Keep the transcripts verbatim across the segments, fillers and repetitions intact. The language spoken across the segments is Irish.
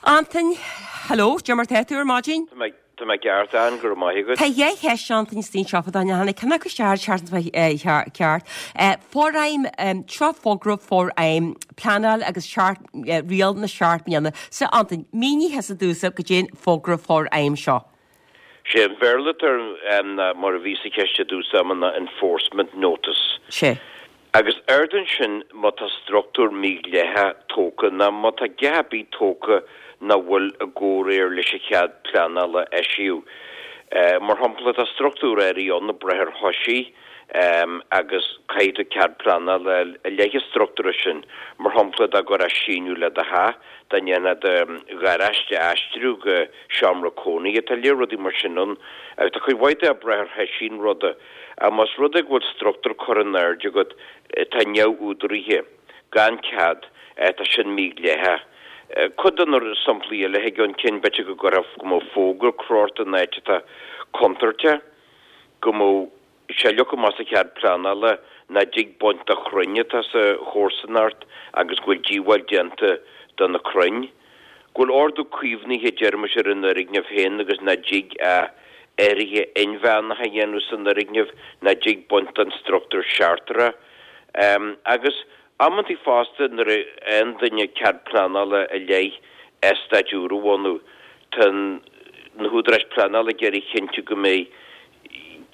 Antain, hello, Cad é mar tá tú ar maidin? Tá mé ceart an go maith Tá dhá cheist Antain stín seo tháinig cena go seart ceart. Forfheidhm seo fógra forfheidhm pleanáil agus riail na seacht mbliana. Sa Antain mínigh domhsa goidé an fógra forfheidhm seo. Sé an Béarla mar a bhí sa cheist dúsa ná enforcement notice. Sé. Agus ardan sin má tá struchtúr mídhleathach tógtha ná má tá geabaí tógtha nach bhfuil i gcomhréir leis an chead pleanála eisíodh. Uh, mar shampla tá struchtúr ar ann ag brath ar thoisí um, agus caithfidh tú cead pleanála i leith an struchtúr sin mar shampla dá gcuirfeá síneadh le do theach dá ndéanfá do gharáiste a aistriú go seomra cónaí tá lear rudaí mar sin ann agus tá chuid mhaith ag brath ar thoisí an ruda más rud é go bhfuil struchtúr curtha in airde agat tá neamhúdaraithe gan cead tá sin mídhleathach. Cuid de na samplaí eile an cinn b'fhéidir go gcuirfeá go mbeadh fógra crochta in áit atá contúirteach go mbeadh sé leagtha amach sa chead pleanála nach dtig baint de chrainn atá sa chomharsanacht agus go bhfuil díobháil déanta do na crainn. Go bhfuil ordú caomhnaithe deirmis ar an fhoirgneamh féin agus nach dtig a athruithe inmheánacha a dhéanamh san fhoirgneamh nach dtig baint den struchtúr seachtrach. Um, agus amantaí fosta nuair a fhaigheann duine cead pleanála i leith eastát úr a bhunú tá na húdaráis pleanála ag iarraidh cinntiú go mbeidh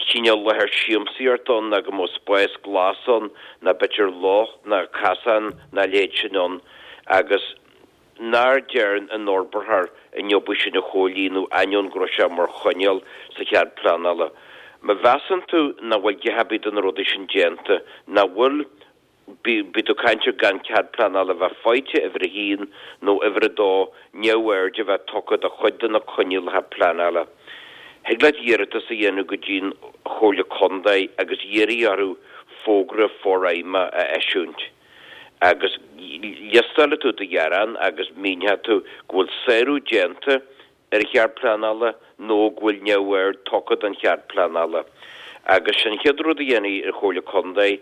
cineál láthair siamsaíochta ann ná go mbeadh spás glas ann ná b'fhéidir loch ná casán ná a leithéid sin ann agus nach ndearna an fhorbróir an obair sin a chomhlíonadh ainneoin go raibh sé mar choinníoll sa chead pleanála. Má mheasann tú nach bhfuil a dhath ar bith de na rudaí sin déanta, nach bhfuil bí tú caint gan cead pleanála bheith faighte uimhir a haon nó uimhir a dó neamhaird a bheith tugtha do chuid de na coinníollacha pleanála. Thig leat iarratas a dhéanamh go dtí'n Chomhairle Contae agus iarraidh orthu fógra forfheidhme a eisiúint. Agus liostálfaidh tú do ghearán agus míneoidh tú go bhfuil sárú déanta ar an chead pleanála nó go bhfuil neamhaird tugtha don chead pleanála. Agus sin chéad rud a dhéanfaidh an Chomhairle Contae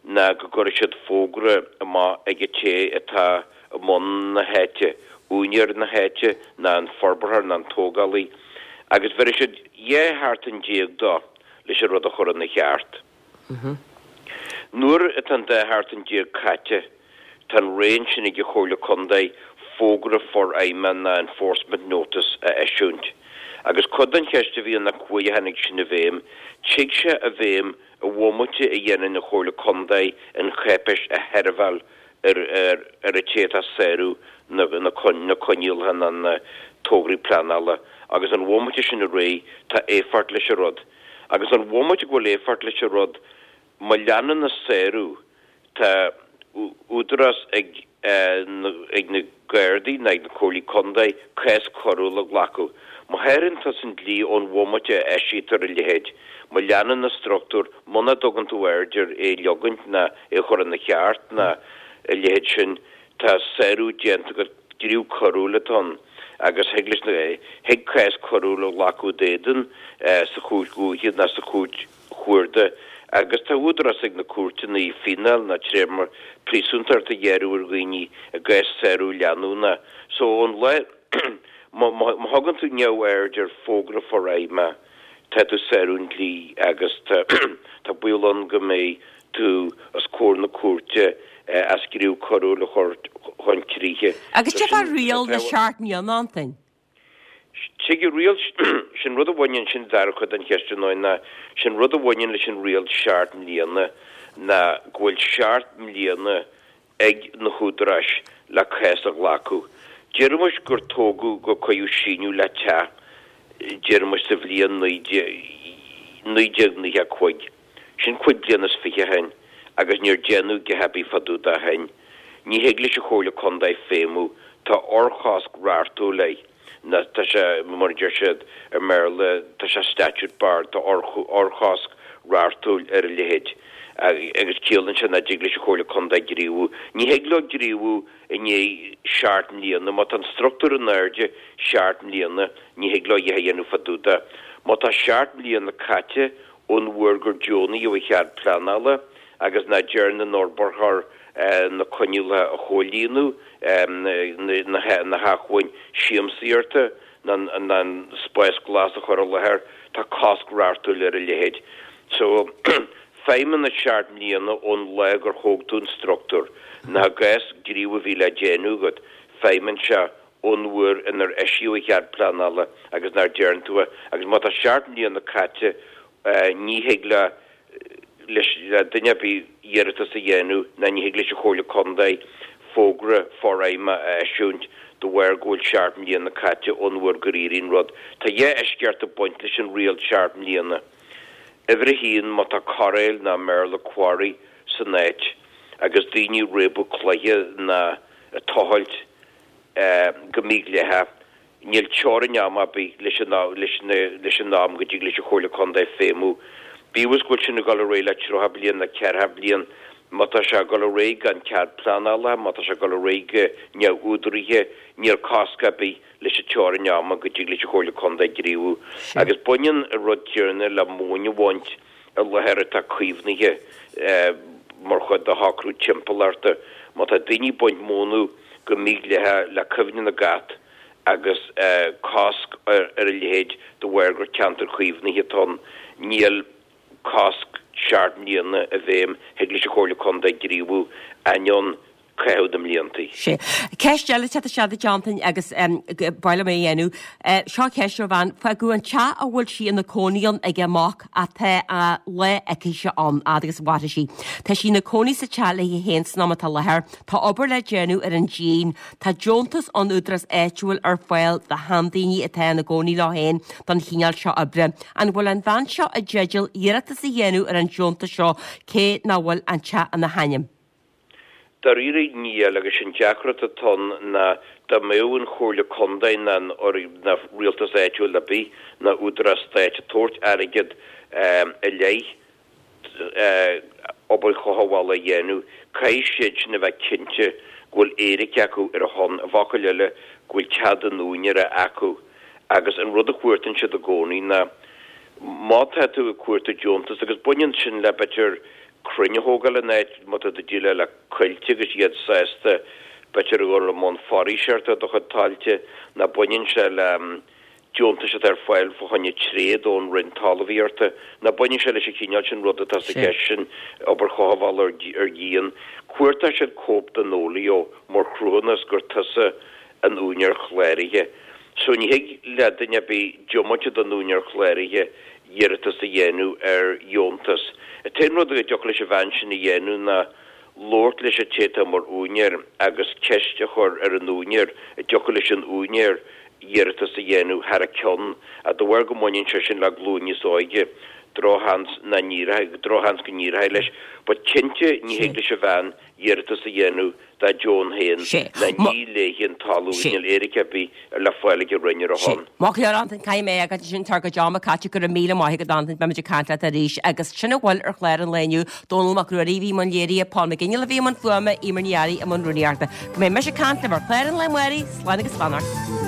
ná go gcuirfidh siad fógra amach ag an té atá i mbun na háite, úinéir na háite ná an forbróir ná an tógálaí, agus bheir siad dhá sheachtain déag dó leis an rud a chur ina cheart. Nuair atá an dá sheachtain déag caite tá an raon sin ag an Chomhairle Contae fógra forfheidhme ná enforcement notice a eisiúint. Agus cuid den cheist a bhí ina cuaigh a tháinig sin i bhfeidhm, tig sé i bhfeidhm i bhomaite a dhéanann an Chomhairle Contae an cháipéis a sheirbheáil ar ar ar an té atá ag sárú na na na coinníollacha ná na tograí pleanála agus an bhomaite sin a ré tá éifeacht leis an rud. Agus an bhomaite go bhfuil éifeacht leis an rud má leanann an sárú tá údarás ag ag na Gardaí ná ag na Comhairlí Contae cás coiriúil a ghlacadh. Má sháraíonn tusa an dlí ón bhomaite a eisítear a leithéid, má leanann an struchtúr muna dtugann tú aird ar é leogaint ná é chur ina cheart ná a leithéid sin tá sárú déanta go gníomh coiriúil atá ann agus thig leis thig cás coiriúil a ghlacadh d'éadan sa chúirt dhúiche ná sa chúirt chuarda agus tá údarás ag na cúirteanna fíneáil ná téarma príosúntachta a ghearradh ar dhaoine i gcás sárú leanúnach. So an lá má thugann tú neamhaird ar fógra forfheidhme tá tú ag sárú an dlí agus tá baol ann go mbeidh tú os comhair na cúirte as gníomh coiriúil a chur chun críche. Agus cad fá riail na seacht mbliana Antain? Tig riail sin rud a bhaineann sin dara cuid den cheist ná sin rud a bhaineann leis an riail seacht mbliana ná go bhfuil seacht mbliana ag na húdaráis le cás a ghlacadh. Deirmis gur tógadh gur cuireadh síneadh le teach deirmis sa bhliain naoi déag nócha cúig. Sin cúig bliana is fiche ó shin agus níor déanadh a dhath ar bith fá dtaobh de ó shin. Ní thig leis an Chomhairle Contae feidhmiú tá urchosc reachtúil air. Na tá sé mar a deir siad ar mBéarla tá sé statute barred tá urchosc reachtúil ar a leithéid. agus ciallaíonn sé nach dtig leis an Chomhairle Contae gníomhú. Ní thig leo gníomhú i ndiaidh seacht mbliana, má tá an struchtúr in airde seacht mbliana ní thig leo a dhath a dhéanamh fá dtaobh de. Má tá seacht mbliana caite ón uair gur deonaíodh an chead pleanála agus nach ndearna an fhorbróir na coinníollacha a chomhlíonadh na hacmhainn siamsaíochta ná an spás glas a chur i láthair, tá cosc reachtúil ar a leithéid. So feidhmeanna seacht mbliana ón lá gur thóg tú an struchtúr, ná i gcás gníomh a bhí le déanamh agat, feidhmeann sé ón uair inar eisíodh an chead pleanála agus nár deireann tú é. Agus má tá seacht mbliana caite, ní thig le leis le duine ar bith iarratas a dhéanamh ná ní thig leis an Chomhairle Contae fógra forfheidhme a eisiúint de bharr go bhfuil seacht mbliana caite ón uair gur iarradh an rud. Tá dhá eisceacht ag baint leis an riail seacht mbliana. Uimhir a haon, má tá cairéal ná i mBéarla quarry san áit agus daoine ag réabadh cloiche ná ag tochailt go mídhleathach, níl teorainn ama ar bith leis an leis an am go dtig leis an Chomhairle Contae feidhmiú. Bíodh is go bhfuil sin ag dul ar aghaidh le tríocha bliain nó ceathracha bliain, má tá sé ag dul ar aghaidh gan cead pleanála, má tá sé ag dul ar aghaidh go neamhúdaraithe, níl cosc ar bith leis an teorainn ama go dtig leis an Chomhairle Contae gníomhú. Agus baineann an rud céanna le móin a bhaint i láthair atá caomhnaithe mar chuid de shocrú timpeallachta. Má tá daoine ag baint mónadh go mídhleathach le cuimhne na gcat agus cosc ar a leithéid de bharr gur ceantar caomhnaithe atá ann, níl cosc seacht mbliana i bhfeidhm, thig leis an Chomhairle Contae gníomhú ainneoin caitheamh na mblianta. Sea. Ceist eile teacht isteach duit Antain agus ba mhaith liom é a dhéanamh. Seo ceist ó bhean, fágadh an teach a bhfuil sí ina cónaí ann ag a mac ach tá a lá aici-se ann, fhad agus a mhairfidh sí. Tá sí ina cónaí sa teach léi féin san am atá i láthair. Tá obair le déanamh ar an díon. Tá deontas ón údarás áitiúil ar fáil do sheandaoine atá ina gcónaí leo féin don chineál seo oibre. An bhfuil an bhean seo i dteideal iarratas a dhéanamh ar an deontas seo cé nach bhfuil an teach ina hainm? Dáiríre níl, agus an deacracht atá ann ná dá mbeadh an Chomhairle Contae ná an ná rialtas áitiúil ar bith ná údarás stáit ag tabhairt airgead i leith obair chothabhála a dhéanamh, caithfidh siad sin a bheith cinnte go bhfuil éiric acu ar a shon, i bhfocail eile, go bhfuil cead an úinéara acu. Agus an rud a chuartaíonn siad i gcónaí ná má tá tú ag cuartú deontas, agus baineann sin le b'fhéidir crainn a thógáil in áit, má tá tú ag déileáil le coillte agus iad sásta b'fhéidir a dhul i mbun foraoiseachta ar do chuid tailte, ná baineann sé le deontais atá ar fáil fá choinne tréad ón Roinn Talmhaíochta, ná baineann sé leis an chineál sin rud atá sa cheist sin, obair chothabhála ar dhíon. Cuartóidh siad cóip den fhóilió mar chruthúnas gur tusa an úinéir chláraithe. So ní thig le duine ar bith diomaite den úinéir chláraithe iarratas a dhéanamh ar dheontas. An t-aon rud a dtiocfadh leis an bhean sin a dhéanamh ná labhairt leis an té atá mar úinéir agus ceist a chur ar an úinéir an dtiocfadh leis an úinéir iarratas a dhéanamh thar a ceann. Ach de bharr go mbaineann sé sin le glúin níos óige, drochsheans nach n-éireoidh, drochsheans go n-éireoidh leis. But cinnte ní thig leis an bhean iarratas a dhéanamh dá deoin féin ná ní léi an talamh, níl éiric ar bith le fáil ag an Roinn ar a shon. Maith go leor Antain, caithfidh mé é sin tá ár gcuid ama caite, go raibh míle maith agat Antain, beimid ag caint leat arís agus sin a bhfuil ar chlár an lae inniu, Dónall Mac Ruairí a bhí i mbun léirithe, Paul McGinley a bhí i mbun fuaime, Eimear Ní Fhearraigh i mbun rúnaíochta. Go mbeidh mise ag caint libh ar chlár an lae amárach, slán agus beannacht.